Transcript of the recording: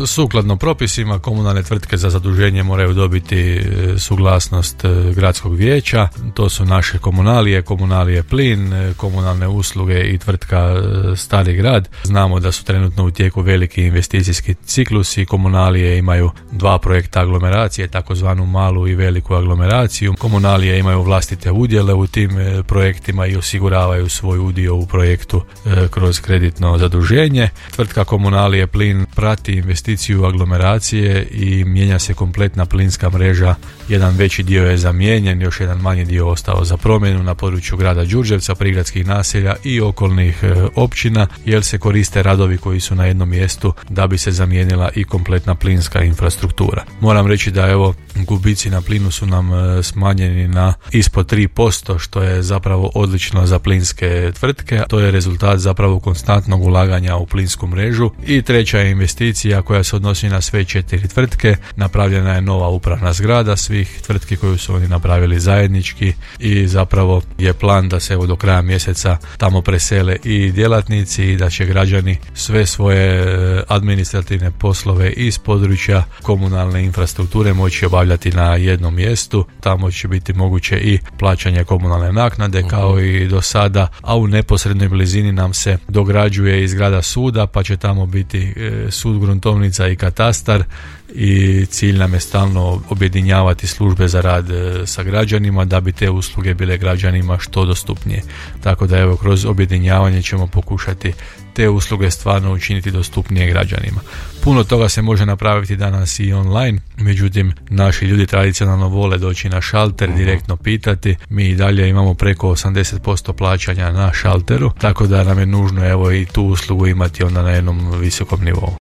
Sukladno propisima, komunalne tvrtke za zaduženje moraju dobiti suglasnost gradskog vijeća. To su naše komunalije plin, komunalne usluge i tvrtka Stari grad. Znamo da su trenutno u tijeku veliki investicijski ciklusi. Komunalije imaju 2 projekta aglomeracije, takozvanu malu i veliku aglomeraciju. Komunalije imaju vlastite udjele u tim projektima i osiguravaju svoj udio u projektu kroz kreditno zaduženje. Tvrtka Komunalije plin prati investiciju aglomeracije i mijenja se kompletna plinska mreža. Jedan veći dio je zamijenjen, još jedan manji dio ostao za promjenu na području grada Đurđevca, prigradskih naselja i okolnih općina, jer se koriste radovi koji su na jednom mjestu da bi se zamijenila i kompletna plinska infrastruktura. Moram reći da evo gubici na plinu su nam smanjeni na ispod 3%, što je zapravo odlično za plinske tvrtke. To je rezultat zapravo konstantnog ulaganja u plinsku mrežu. I treća je investicija koja se odnosi na sve 4 tvrtke. Napravljena je nova upravna zgrada svih tvrtki koju su oni napravili zajednički i zapravo je plan da se evo do kraja mjeseca tamo presele i djelatnici i da će građani sve svoje administrativne poslove iz područja komunalne infrastrukture moći obavljati na jednom mjestu. Tamo će biti moguće i plaćanje komunalne naknade kao i do sada, a u neposrednoj blizini nam se dograđuje i zgrada suda, pa će tamo biti sud, gruntovnica i katastar i cilj nam je stalno objedinjavati službe za rad sa građanima da bi te usluge bile građanima što dostupnije. Tako da evo kroz objedinjavanje ćemo pokušati te usluge stvarno učiniti dostupnije građanima. Puno toga se može napraviti danas i online, međutim naši ljudi tradicionalno vole doći na šalter, direktno pitati. Mi i dalje imamo preko 80% plaćanja na šalteru, tako da nam je nužno evo i tu uslugu imati onda na jednom visokom nivou.